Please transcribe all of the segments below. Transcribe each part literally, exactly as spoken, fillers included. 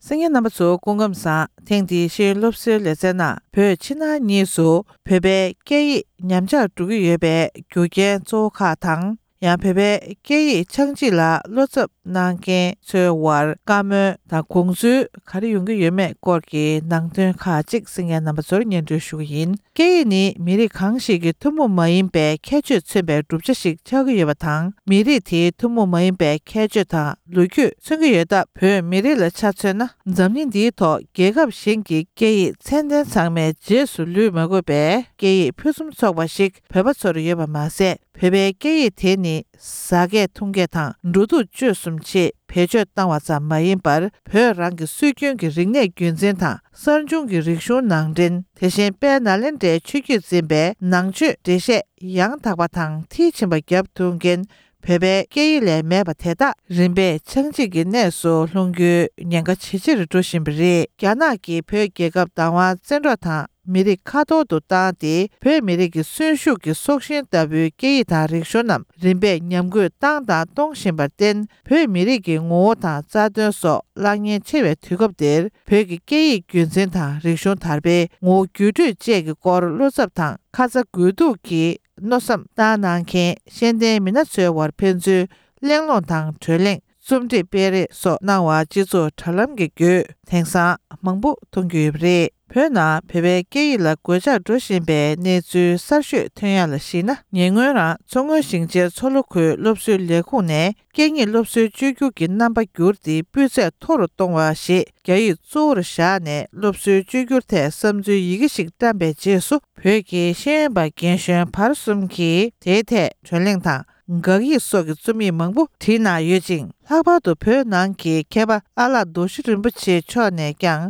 གསན་མཁན་རྣམ་པ་ཚོ་སྐུ་ཁམས་བཟང་། ཐེངས་འདིའི་ཤེས་ཡོན་སློབ་གསོའི་ལེ་ཚན་ནང་བོད་ཕྱི་ནང་གཉིས་སུ་བོད་པའི་སྐད་ཡིག་ཉམས་ཆག་འགྲོ་གི་ཡོད་པའི་རྒྱུ་རྐྱེན་གཙོ་བོ་ཁག་དང་། ཡང་བོད་པའི་སྐད་ཡིག་ཆག་འཇིག་ལ་བློ་འཚབ་གནང་མཁན་ཚོའི་དབར་བཀའ་མོལ་དང་དགོངས་ཚུལ་ག་རེ་ཡོང་གི་ཡོད་མེད་སྐོར་གྱི་ནང་དོན་ཁག་ཅིག་གསན་མཁན་རྣམ་པ་ཚོར་སྙན་སྒྲོན་ཞུ་གི་ཡིན། སྐད་ཡིག་ནི་མི་རིགས་གང་ཞིག་གི་ཐུན་མོང་མ་ཡིན་པའི་ཁྱད་ཆོས་མཚོན་པའི་གྲུབ་ཆ་ཞིག་ཆགས་ཀྱི་ཡོད་པ་དང་། མི་རིགས་དེའི་ཐུན་མོང་མ་ཡིན་པའི་ཁྱད་ཆོས་དང་ལོ་རྒྱུས་མཚོན་གྱི་ཡོད་སྟབས། བོད་མི་རིགས་ལ་ཆ་མཚོན་ན། འཛམ་གླིང་འདིའི་ཐོག་རྒྱལ་ཁབ་གཞན་གྱི་སྐད་ཡིག་ཚད་ལྡན་ཚང་མའི་རྗེས་སུ་ལུས་མ་དགོས་པའི་སྐད་ཡིག་ཕུན་སུམ་ཚོགས་པ་ཞིག་བོད་པ་ཚོར་ཡོད་པ་མ་ཟད། བོད་པའི་སྐད་ཡིག་དེ་ནི་ཟ་སྐད་འཐུང་སྐད་དང་འགྲོ་འདུག་སྤྱོད་གསུམ་ཆེད་བེད་སྤྱོད་བཏང་བ་ཙམ་མ་ཡིན་པར། བོད་རང་གི་སྲོལ་རྒྱུན་གྱི་རིག་གནས་རྒྱུན་འཛིན་དང་། གསར་བྱུང་གི་རིག་གཞུང་ནང་འདྲེན། དེ་བཞིན་དཔལ་ནཱ་ལེནྡྲའི་ཆོས་བརྒྱུད་འཛིན་པའི་ནང་ཆོས་འགྲེལ་བཤད་ཡང་དག་པ་དང་མཐིལ་ཕྱིན་པ་བརྒྱབ་ཐུབ་མཁན་བོད་པའི་སྐད་ཡིག་ལས་མེད་པ་དེ་དག་རིམ་པས་ཆག་འཇིག་གི་གནས་སུ་ལྷུང་རྒྱུའི་ཉེན་ཁ་ཇེ་ཆེར་འགྲོ་བཞིན་པ་རེད། རྒྱ་ནག་གིས་བོད་རྒྱལ་ཁབ་བདག་དབང་བཙན་འཕྲོག་དང་མི་རིགས་ཁ་ཐོར་དུ་བཏང་སྟེ། བོད་མི་རིགས་ཀྱི་གསོན་ཤུགས་ཀྱི་སྲོག་ཤིང་ལྟ་བུའི་སྐད་ཡིག་དང་རིག་གཞུང་རྣམས་རིམ་པས་ཉམས་རྒུད་བཏང་དང་གཏོང་བཞིན་པར་བརྟེན། བོད་མི་རིགས་ཀྱི་ངོ་བོ་དང་རྩ་དོན་སོགས་བརླག་ཉེན་ཆེ་བའི་དུས་སྐབས་འདིར། བོད་ཀྱི་སྐད་ཡིག་རྒྱུན་འཛིན་དང་རིག་གཞུང་དར་སྤེལ། ངོ་བོ་འགྱུར་འགྲོས་བཅས་ཀྱི་སྐོར་བློ་འཚབ་དང་ཁ་ཚ་དགོས་གཏུགས་ཀྱི་མནོ་བསམ་བཏང་གནང་མཁན་ཤེས་ལྡན་མི་སྣ་ཚོའི་དབར་ཕན་ཚུན་གླེང་སློང་དང་གྲོས་གླེང་། རྩོམ་སྒྲིག་སྤེལ་རེས་སོགས་གནང་བ་སྤྱི་ཚོགས་དྲ་ལམ་གྱི་བརྒྱུད་དེང་སང་མང་པོ་མཐོང་རྒྱུ་ཡོད་པ་རེད། བོད་ནང་བོད་པའི་སྐད་ཡིག་ལ་གོད་ཆག་འགྲོ་བཞིན་པའི་གནས་ཚུལ་གསར་ཤོས་ཐོན་ཡག་ལ་གཞིགས་ན། ཉེ་སྔོན་རང་མཚོ་སྔོན་ཞིང་ཆེན་མཚོ་ལྷོ་ཁུལ་སློབ་གསོའི་ལས་ཁུངས་ནས་སྐད་གཉིས་སློབ་གསོའི་བཅོས་བསྒྱུར་གྱི་རྣམ་པ་བསྒྱུར་ཏེ་སྤུས་ཚད་མཐོ་རུ་གཏོང་བ་ཞེས་རྒྱ་ཡིག་གཙོ་བོར་བཞག་ནས་སློབ་གསོའི་བཅོས་བསྒྱུར་ཐད་བསམ་ཚུལ་ཡི་གེ་ཞིག་བཀྲམ་པའི་རྗེས་སུ། བོད་ཀྱི་ཤེས་ཡོན་པ་རྒན་གཞོན་བར་གསུམ་གྱིས་དེའི་ཐད་གྲོས་གླེང་དང་། དགག་ཡིག་སོགས་ཀྱི་རྩོམ་ཡིག་མང་པོ་བྲིས་གནང་ཡོད་ཅིང་། ལྷག་པར་དུ་བོད་ནང་གི་མཁས་པ་ཨ་ལགས་རྡོ་རྗེ་རིན་པོ་ཆེ་མཆོག་ནས་ཀྱང་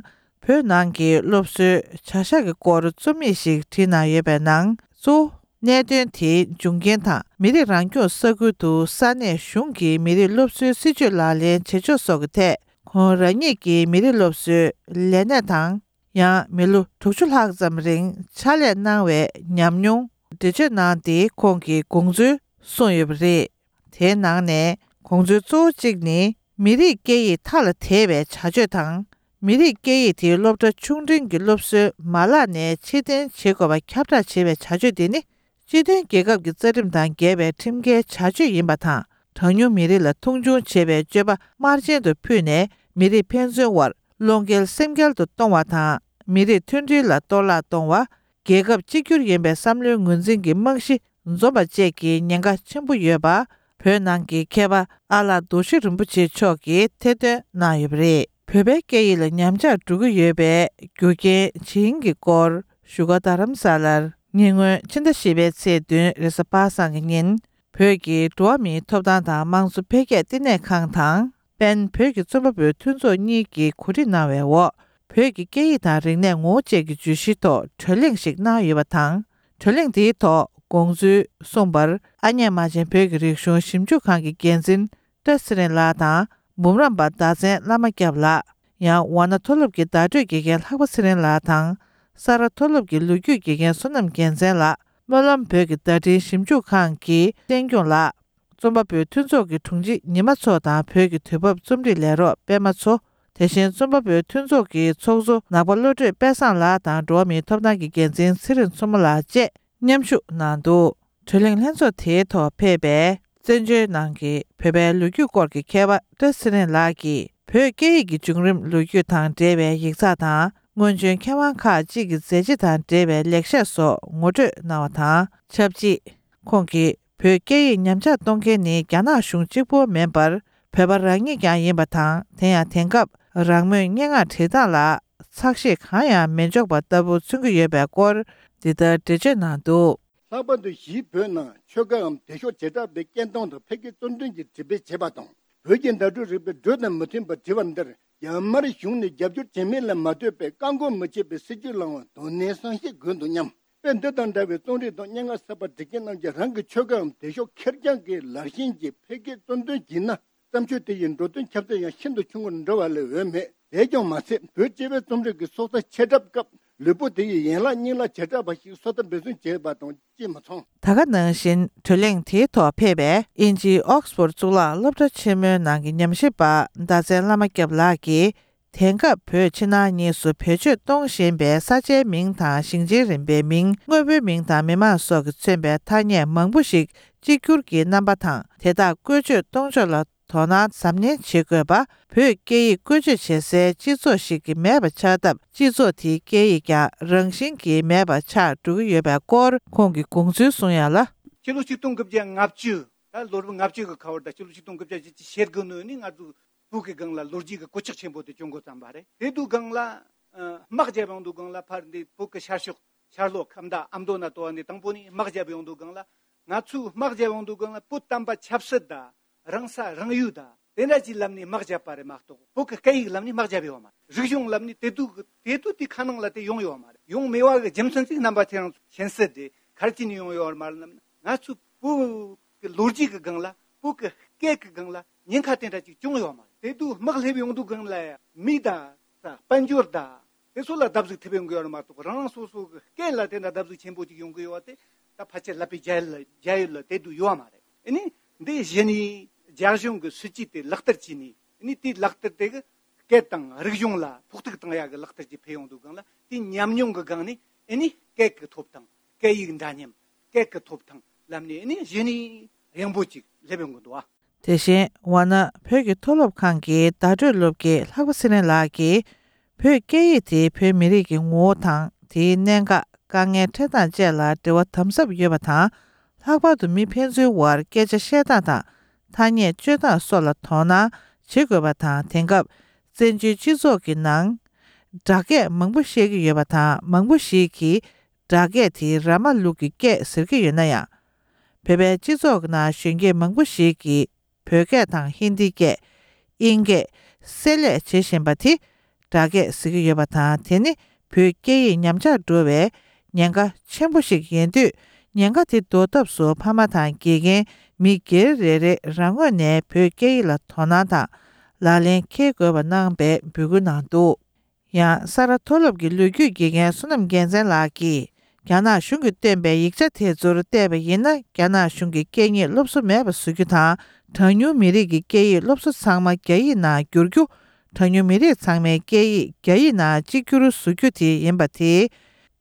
བོད་ནང་གི་སློབ་གསོའི་བྱ་གཞག་གི་སྐོར་རྩོམ་ཡིག་ཞིག་བྲིས་གནང་ཡོད་པའི་ནང་གཙོ་བོ་གནད་དོན་དེའི་འབྱུང་རྐྱེན་དང་། མི་རིགས་རང་སྐྱོང་ས་ཁུལ་དུ་ས་གནས་གཞུང་གིས་མི་རིགས་སློབ་གསོའི་སྲིད་ཇུས་ལག་ལེན་བྱེད་ཕྱོགས་སོགས་ཀྱི་ཐད་ཁོང་རང་ཉིད་ཀྱིས་མི་རིགས་སློབ་གསོའི་ལས་གནས་དང་། ཡང་མི་ལོ་དྲུག་ཅུ་ལྷག་ཙམ་རིང་ཕྱག་ལས་གནང་བའི་ཉམས་མྱོང་འགྲེལ་བརྗོད་གནང་སྟེ། ཁོང་གིས་དགོངས་ཚུལ་གསུངས་ཡོད་པ་རེད། དེའི་ནང་ནས་དགོངས་ཚུལ་གཙོ་བོ་གཅིག་ནི། མི་རིགས་སྐད་ཡིག་མཐའ་ལ་དེད་པའི་བྱ་སྤྱོད་དང་། མི་རིགས་སྐད་ཡིག་དེ་སློབ་གྲྭ་ཆུང་འབྲིང་གི་སློབ་གསོའི་མ་ལག་ནས་ཕྱིར་འཐེན་བྱེད་དགོས་པ་ཁྱབ་བསྒྲགས་བྱེད་པའི་བྱ་སྤྱོད་དེ་ནི། སྤྱི་མཐུན་རྒྱལ་ཁབ་ཀྱི་རྩ་ཁྲིམས་དང་འགལ་བའི་ཁྲིམས་འགལ་བྱ་སྤྱོད་ཡིན་པ་དང་། གྲངས་ཉུང་མི་རིགས་ལ་མཐོང་ཆུང་བྱེད་པའི་སྤྱོད་པ་དམར་རྗེན་དུ་ཕུད་ནས། མི་རིགས་ཕན་ཚུན་དབར་བློ་འགེལ་སེམས་འགལ་དུ་གཏོང་བ་དང་། མི་རིགས་མཐུན་སྒྲིལ་ལ་གཏོར་བརླག་གཏོང་བ། རྒྱལ་ཁབ་གཅིག་གྱུར་ཡིན་པའི་བསམ་བློའི་ངོས་འཛིན་གྱི་རྨང་གཞི་འཛོམས་པ་བཅས་ཀྱི་ཉེན་ཁ་ཆེན་པོ་ཡོད་པ། བོད་ནང་གི་མཁས་པ་ཨ་ལགས་རྡོ་རྗེ་རིན་པོ་ཆེ་མཆོག་གིས་ཐེར་འདོན་གནང་ཡོད་པ་རེད། བོད་པའི་སྐད་ཡིག་ལ་ཉམས་ཆག་འགྲོ་གི་ཡོད་པའི་རྒྱུ་རྐྱེན་ཇི་ཡིན་གྱི་སྐོར་བཞུགས་སྒར་རྡ་རམ་ས་ལར་ཉེ་སྔོན་ཕྱི་ཟླ་བཞི་པའི་ཚེས་བདུན་རེས་གཟའ་པ་སངས་ཀྱི་ཉིན། བོད་ཀྱི་འགྲོ་བ་མིའི་ཐོབ་ཐང་དང་དམངས་གཙོ་འཕེལ་རྒྱས་བསྟི་གནས་ཁང་དང་། པེན་བོད་ཀྱི་རྩོམ་པ་པོའི་མཐུན་ཚོགས་གཉིས་ཀྱིས་གོ་སྒྲིག་གནང་བའི་འོག་བོད་ཀྱི་སྐད་ཡིག་དང་རིག་གནས་ངོ་བོ་བཅས་ཀྱི་བརྗོད་གཞིའི་ཐོག་གྲོས་གླེང་ཞིག་གནང་ཡོད་པ་དང་། གྲོས་གླེང་དེའི་ཐོག་དགོངས་ཚུལ་གསུངས་པར། ཨ་མྱེས་རྨ་ཆེན་བོད་ཀྱི་རིག་གཞུང་ཞིབ་འཇུག་ཁང་གི་འགན་འཛིན་བཀྲ་ཚེ་རིང་ལགས་དང་། འབུམ་རམས་པ་ཟླ་མཚན་བླ་མ་སྐྱབས་ལགས། ཡང་ཝཱ་ཎ་མཐོ་སློབ་ཀྱི་བརྡ་སྤྲོད་དགེ་རྒན་ལྷག་པ་ཚེ་རིང་ལགས་དང་། ས་རཱ་མཐོ་སློབ་ཀྱི་ལོ་རྒྱུས་དགེ་རྒན་བསོད་ནམས་རྒྱལ་མཚན་ལགས། སྨོན་ལམ་བོད་ཀྱི་བརྡ་འཕྲིན་ཞིབ་འཇུག་ཁང་གི་བསྟན་སྐྱོང་ལགས། རྩོམ་པ་པོའི་མཐུན་ཚོགས་ཀྱི་དྲུང་ཆེ་ཉི་མ་མཚོ་དང་བོད་ཀྱི་དུས་བབ་རྩོམ་སྒྲིག་ལས་རོགས་པད་མ་མཚོ། དེ་བཞིན་རྩོམ་པ་པོའི་མཐུན་ཚོགས་ཀྱི་ཚོགས་གཙོ་ནག་པ་བློ་གྲོས་དཔལ་བཟང་ལགས་དང་འགྲོ་བ་མིའི་ཐོབ་ཐང་གི་འགན་འཛིན་ཚེ་རིང་མཚོ་མོ་ལགས་བཅས་མཉམ་ཞུགས་གནང་འདུག་གྲོས་གླེང་ལྷན་ཚོགས་དེའི་ཐོག་ཕེབས་པའི་བཙན་བྱོལ་ནང་གི་བོད་པའི་ལོ་རྒྱུས་སྐོར་གྱི་མཁས་པ་བཀྲ་ཚེ་རིང་ལགས་ཀྱིས། བོད་སྐད་ཡིག་གི་བྱུང་རིམ་ལོ་རྒྱུས་དང་འབྲེལ་བའི་ཡིག་ཚགས་དང་། སྔོན་བྱོན་མཁས་དབང་ཁག་ཅིག་གི་མཛད་རྗེས་དང་འབྲེལ་བའི་ལེགས་བཤད་སོགས་ངོ་སྤྲོད་གནང་བ་དང་ཆབས་ཅིག་ཁོང་གིས། བོད་སྐད་ཡིག་ཉམས་ཆག་གཏོང་མཁན་ནི་རྒྱ་ནག་གཞུང་གཅིག་པོ་མིན་པར། བོད་པ་རང་ཉིད་ཀྱང་ཡིན་པ་དང་། དེ་ཡང་དེང་སྐབས་རང་མོས་སྙན་ངག་བྲིས་སྟངས་ལ་ཚགས་ཤེད་གང་ཡང་མི་འཇོག་པ་ལྟ་བུ་མཚོན་གྱི་ཡོད་པའི་སྐོར། འདི་ལྟར་འགྲེལ་བརྗོད་གནང་འདུག་ལྷག་པར་དུ་གཞིས་བོད་ནང་ཆོལ་ཁའམ་སྡེ་ཤོག་བྱེ་བྲག་པའི་སྐད་གཏོང་དང་ཕལ་སྐད་གཙོ་འདོན་གྱིས་འབྲི་སྤེལ་བྱས་པ་དང་། བོད་ཀྱི་བརྡ་སྤྲོད་རིག་པའི་འགྲོས་དང་མི་མཐུན་པར་བྲིས་པ་འདིར། རྒྱ་དམར་གཞུང་ནས་རྒྱབ་སྐྱོར་བྱེད་མིན་ལ་མ་ལྟོས་པའི་བཀག་འགོག་མི་བྱེད་པའི་སྲིད་ཇུས་བླང་བར་དོ་ནན་བསམ་ཤེས་དགོས་འདུག་སྙམ། དཔེ་འདི་དང་འདྲ་བའི་རྩོམ་རིག་དང་སྙན་ངག་གསར་པ་འབྲི་མཁན་རྣམས་ཀྱིས་རང་གི་ཆོལ་ཁའམ་སྡེ་ཤོག་ཁེར་རྐྱང་གི་ལར་ཞེན་གྱིས་ཕལ་སྐད་གཙོ་འདོན་བགྱིས་ན། བརྩམས་ཆོས་དེ་ཡི་འགྲོ་དོན་ཁྱབ་ཚད་ཡང་ཤིན་ཏུ་ཆུང་ངུར་འགྲོ་བ་ལས་འོས་མེད། དེས་ཀྱང་མ་ཚད། བོད་སྤྱི་པའི་རྩོམ་རིག་གི་སྲོག་རྩ་ཆད་གྲབས་སྐབས། ལུས་པོ་དེ་ཡི་ཡན་ལག་སྙིང་ལ་བྱེ་བྲག་པ་ཞིག་སོ་ལྟ་འབད་བརྩོན་བྱས་པ་དང་ཅིས་མི་མཚུངས། ད་ག་ནང་བཞིན་གྲོས་གླེང་དེའི་ཐོག་ཕེབས་པའི་དབྱིན་ཇིའི་ཨོག་སི་ཕོར་གཙུག་ལག་སློབ་གྲྭ་ཆེན་མོའི་ནང་གི་ཉམས་ཞིབ་པ་ཟླ་མཚན་བླ་མ་སྐྱབས་ལགས་ཀྱིས། དེང་སྐབས་བོད་ཕྱི་ནང་གཉིས་སུ་བེད་སྤྱོད་གཏོང་བཞིན་པའི་ས་ཆའི་མིང་དང་ཞིང་ཆེན་རིམ་པའི་མིང་། དངོས་པོའི་མིང་དང་མི་མང་སོགས་ཀྱིས་མཚོན་པའི་ཐ་སྙད་མང་པོ་ཞིག་གཅིག་གྱུར་གྱི་རྣམ་པ་དང་། དེ་དག་བཀོལ་སྤྱོད་གཏོང་ཕྱོགས་ལ་དོ་སྣང་གཟབ་ནན་བྱེད་དགོས་པ། བོད་སྐད་ཡིག་བཀོལ་སྤྱོད་བྱེད་སའི་སྤྱི་ཚོགས་ཤིག་གི་མེད་པ་ཆགས་སྟབས། སྤྱི་ཚོགས་དེའི་སྐད་ཡིག་ཀྱང་རང་བཞིན་གྱིས་མེད་པ་ཆགས་འགྲོ་གི་ཡོད་པའི་སྐོར་ཁོང་གིས་དགོངས་ཚུལ་གསུངས་ཡ་ལ། ཕྱི་ལོ་ཆིག་སྟོང་དགུ་བརྒྱ་ལྔ་བཅུ། ད་ལོ་རབས་ལྔ་བཅུ་གི་ཁ་བར་དང་ཕྱི་ལོ་ཆིག་སྟོང་དགུ་བརྒྱ་བཞི་བཅུ་ཞེ་དགུ་ནང་ནས་ང་ཚོ་བོད་ཀྱི་སྒང་ལ་ལོ་རྒྱུས་ཀྱི་གོད་ཆག་ཆེན་པོ་དེ་བྱུང་འགོ་བརྩམས་པ་རེད། དེ་དུས་སྒང་ལ་ཨ་དམག་རྒྱབ་ཡོང་དུས་སྒང་ལ་ཕར་འདི་བོད་ཀྱི་ཤར་ཕྱོགས་ཤར་ལྷོ་ཁམས་དང་ཨ་མདོ་ན་ཏོ་བ་ནས་དང་པོ་ནས་དམག་རྒྱབ་ཡོང་དུས་སྒང་ལ། ང་ཚོས་དམག་རྒྱབ་ཡོང་དུས་སྒང་ལ་བོད་དམ་པ་ཆབ་སྲིད་དང་། རང་ས་རང་ཡུལ་དང་དེ་འདྲ་ཅིག་ལམ་ནས་དམག་རྒྱབ་པ་རེད་མ་གཏོགས། བོད་ཀྱི་སྐད་ཡིག་ལམ་ནས་དམག་རྒྱབ་ཡོད་མ་རེད། རིག་གཞུང་ལམ་ནས་དེ་དུས་དེ་དུས་དེ་ཁ་ནང་ལ་དེ་ཡོང་ཡོད་མ་རེད། ཡོང་མེད་པ་གི་རྒྱུ་མཚན་ཅིག་རྣམ་པ་ཁྱེད་རང་ཚོ་མཁྱེན་གསལ་རེད། ག་རེ་བྱས་ནས་ཡོང་ཡོད་མ་རེད་ལབ་ན། ང་ཚོ་བོད་ཀྱི་ལོ་རྒྱུས་ཀྱི་སྒང་ལ་བོད་ཀྱི་སྐད་ཀྱི་སྒང་ལ་ཉེན་ཁ་དེ་འདྲ་ཅིག་བྱུང་ཡོད་མ་རེད། དེ་དུས་དམག་སླེབས་ཡོང་དུས་སྒང་ལ་ཡང་མི་དང་དཔལ་འབྱོར་དང་དེ་ཚོ་ལ་བརྡབ་གསིག་ཐེབས་ཡོང་གི་ཡོད་རེད་མ་གཏོགས། རང་རང་སོ་སོ་གི་སྐད་ལ་དེ་འདྲ་བརྡབ་གསིག་ཆེན་པོ་ཅིག་ཡོང་གི་ཡོད་པ་དེ་ད་ཕལ་ཆེར་ལབ་པའི་རྒྱ་ཡུལ་ལ་རྒྱ་ཡུལ་ལ་དེ་དུས་ཡོད་མ་རེད། ཨ་ནི་འདི་གཞི་ནས་རྒྱ་གཞུང་གི་སྲིད་ཇུས་དེ་ལག་བསྟར་བྱས་ནས། ཨ་ནི་དེའི་ལག་བསྟར་དེ་གི་སྐད་དང་རིག་གཞུང་ལ་ཕོག་ཐུག་བཏང་ཡག་གི་ལག་བསྟར་ཅིག་ཕེབས་ཡོང་དུས་སྒང་ལ། དེའི་ཉམས་མྱོང་གི་སྒང་ནས་ཨ་ནི་སྐད་ཀྱི་ཐོབ་ཐང་། སྐད་ཡིག་འདྲ་མཉམ། སྐད་ཀྱི་ཐོབ་ཐང་ལམ་ནས་ཨ་ནི་གཞི་ནས་ཡངས་པོ་ཅིག་སླེབས་ཡོང་གི་འདུག་ཨ། དེ་བཞིན་ཝཱ་ཎ་བོད་ཀྱི་མཐོ་སློབ་ཁང་གི་བརྡ་སྤྲོད་སློབ་དགེ་ལྷག་པ་ཚེ་རིང་ལགས་ཀྱིས། བོད་སྐད་ཡིག་དེ་བོད་མི་རིགས་ཀྱི་ངོ་བོ་དང་། དེའི་གནད་འགག་དཀའ་ངལ་འཕྲད་སྟངས་བཅས་ལ་འབྲེལ་བ་དམ་ཟབ་ཡོད་པ་དང་། ལྷག་པར་དུ་མི་ཕན་ཚུན་དབར་སྐད་ཆ་བཤད་སྟངས་དང་། ཐ་སྙད་སྤྱོད་སྟངས་སོགས་ལ་དོ་སྣང་བྱེད་དགོས་པ་དང་། དེང་སྐབས་བཙན་བྱོལ་སྤྱི་ཚོགས་ཀྱི་ནང་སྦྲག་སྐད་མང་པོ་བཤད་ཀྱི་ཡོད་པ་དང་། མང་པོ་ཞིག་གིས་སྦྲག་སྐད་དེ་ར་མ་ལུག་གི་སྐད་ཟེར་གྱི་ཡོད་ན་ཡང་། བོད་པའི་སྤྱི་ཚོགས་ནང་གཞོན་སྐྱེས་མང་པོ་ཞིག་གིས་བོད་སྐད་དང་ཧིན་དི་སྐད། དབྱིན་སྐད་བསྲེས་ལས་བྱེད་བཞིན་པ་དེ་སྦྲག་སྐད་ཟེར་གྱི་ཡོད་པ་དང་། དེ་ནི་བོད་སྐད་ཡིག་ཉམས་ཆག་འགྲོ་བའི་ཉེན་ཁ་ཆེན་པོ་ཞིག་ཡིན་དུས། ཉེན་ཁ་དེ་ཟློག་ཐབས་སུ་ཕ་མ་དང་དགེ་རྒན། མི་སྒེར་རེ་རེ་རང་ངོས་ནས་བོད་སྐད་ཡིག་ལ་དོ་སྣང་དང་ལག་ལེན་འཁེལ་དགོས་པ་གནང་བའི་འབོད་སྐུལ་གནང་འདུག། ཡང་ས་རཱ་མཐོ་སློབ་ཀྱི་ལོ་རྒྱུས་དགེ་རྒན་བསོད་ནམས་རྒྱལ་མཚན་ལགས་ཀྱིས། རྒྱ་ནག་གཞུང་གིས་བཏོན་པའི་ཡིག་ཆ་དེ་ཚོར་བལྟས་པ་ཡིན་ན། རྒྱ་ནག་གཞུང་གིས་སྐད་གཉིས་སློབ་གསོ་མེད་པ་བཟོ་རྒྱུ་དང་། གྲངས་ཉུང་མི་རིགས་ཀྱི་སྐད་ཡིག་སློབ་གསོ་ཚང་མ་རྒྱ་ཡིག་ནང་བསྒྱུར་རྒྱུ། གྲངས་ཉུང་མི་རིགས་ཚང་མའི་སྐད་ཡིག་རྒྱ་ཡིག་ནང་གཅིག་གྱུར་བཟོ་རྒྱུ་དེ་ཡིན་པ་དེས།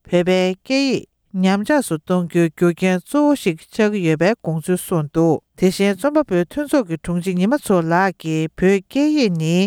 བོད་པའི་སྐད་ཡིག་ཉམས་ཆག་ཏུ་གཏོང་རྒྱུའི་རྒྱུ་རྐྱེན་གཙོ་བོ་ཞིག་ཆགས་ཀྱི་ཡོད་པའི་དགོངས་ཚུལ་གསུངས་འདུག། དེ་བཞིན་རྩོམ་པ་པོའི་མཐུན་ཚོགས་ཀྱི་དྲུང་ཆེ་ཉི་མ་མཚོ་ལགས་ཀྱིས། བོད་སྐད་ཡིག་ནི་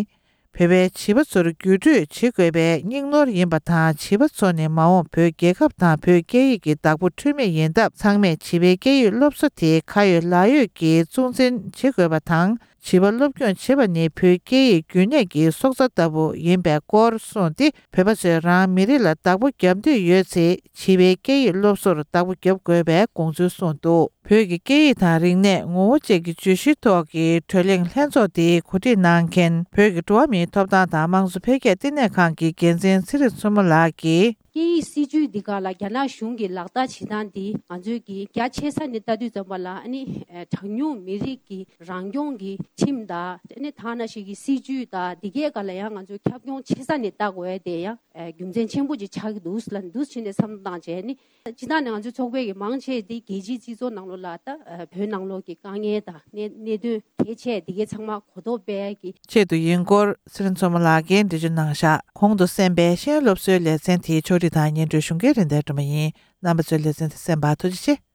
བོད་པའི་བྱིས་པ་ཚོར་བརྒྱུད་སྤྲོད་བྱེད་དགོས་པའི་སྙིང་ནོར་ཡིན་པ་དང་། བྱིས་པ་ཚོ་ནི་མ་འོངས་བོད་རྒྱལ་ཁབ་དང་བོད་སྐད་ཡིག་གི་བདག་པོ་འཁྲུལ་མེད་ཡིན་སྟབས། ཚང་མས་བྱིས་པའི་སྐད་ཡིག་སློབ་གསོ་དེ་ཁ་ཡོད་ལག་ཡོད་ཀྱིས་སྲུང་འཛིན་བྱེད་དགོས་པ་དང་། བྱིས་པ་སློབ་སྐྱོང་བྱེད་པ་ནི་བོད་སྐད་ཡིག་རྒྱུན་གནས་ཀྱི་སྲོག་རྩ་ལྟ་བུ་ཡིན་པའི་སྐོར་གསུངས་ཏེ། བོད་པ་ཚོས་རང་མི་རིགས་ལ་བདག་པོ་རྒྱབ་འདོད་ཡོད་ཚེ། བྱིས་པའི་སྐད་ཡིག་སློབ་གསོར་བདག་པོ་རྒྱབ་དགོས་པའི་དགོངས་ཚུལ་གསུངས་འདུག། བོད་ཀྱི་སྐད་ཡིག་དང་རིག་གནས་ངོ་བོ་བཅས་ཀྱི་བརྗོད་གཞིའི་ཐོག་གི་གྲོས་གླེང་ལྷན་ཚོགས་དེ་གོ་སྒྲིག་གནང་མཁན། བོད་ཀྱི་འགྲོ་བ་མིའི་ཐོབ་ཐང་དང་དམངས་གཙོ་འཕེལ་རྒྱས་བསྟི་གནས་ཁང་གི་འགན་འཛིན་ཚེ་རིང་མཚོ་མོ་ལགས་ཀྱིས། སྐད་ཡིག་སྲིད་ཇུས་འདི་ག་ལ་རྒྱ་ནག་གཞུང་གིས་ལག་བསྟར་བྱེད་སྟངས་འདི་ང་ཚོས་ཀྱི་རྒྱ་ཆེ་ས་ནས་ལྟ་དུས་ཙམ་པ་ལ། ཨ་ནི་གྲངས་ཉུང་མི་རིགས་ཀྱི་རང་སྐྱོང་གི་ཁྲིམས་དང་། ཨ་ནི་ཐ་ན་ཞིག་གི་སྲིད་ཇུས་དང་འདི་གའི་སྒང་ལ་ཡང་ང་ཚོས་ཁྱབ་ཁོངས་ཆེ་ས་ནས་ལྟ་དགོས་ཡ་དེ་ཡང་རྒྱུ་མཚན་ཆེན་པོ་ཅིག་ཆགས་ཀྱི་འདུག་ལབ་འདུག་བྱས་ནས་བསམ་བློ་བཏང་བྱས་ནི། སྤྱིར་བཏང་ནས་ང་ཚོའི་ཚོགས་པའི་གི་མང་ཆེ་འདི་རྒྱལ་སྤྱིའི་སྤྱི་ཚོགས་ནང་ལོགས་ལ་ད་བོད་ནང་ལོགས་ཀྱི་དཀའ་ངལ་དང་གནས་གནད་དོན་གལ་ཆེ་འདི་གའི་ཚང་མ་གོ་རྟོགས་སྤེལ་གྱི་ཆེད་དུ་ཡིན་སྐོར་ཚེ་རིང་མཚོ་མོ་ལགས་ཀྱིས་འགྲེལ་བརྗོད་གནང་བཞག། གོང་དུ་གསན་པའི་ཤེས་ཡོན་སློབ་གསོའི་ལེ་ཚན་དེའི་ཕྱོགས་སྒྲིག་དང་སྙན་སྒྲོན་ཞུ་མཁན་རིན་ལྡན་སྒྲོལ་མ་ཡིན། རྣམ་པ་ཚོས་ལེ་ཚན་དེ་གསན་པར་ཐུགས་རྗེ་ཆེ།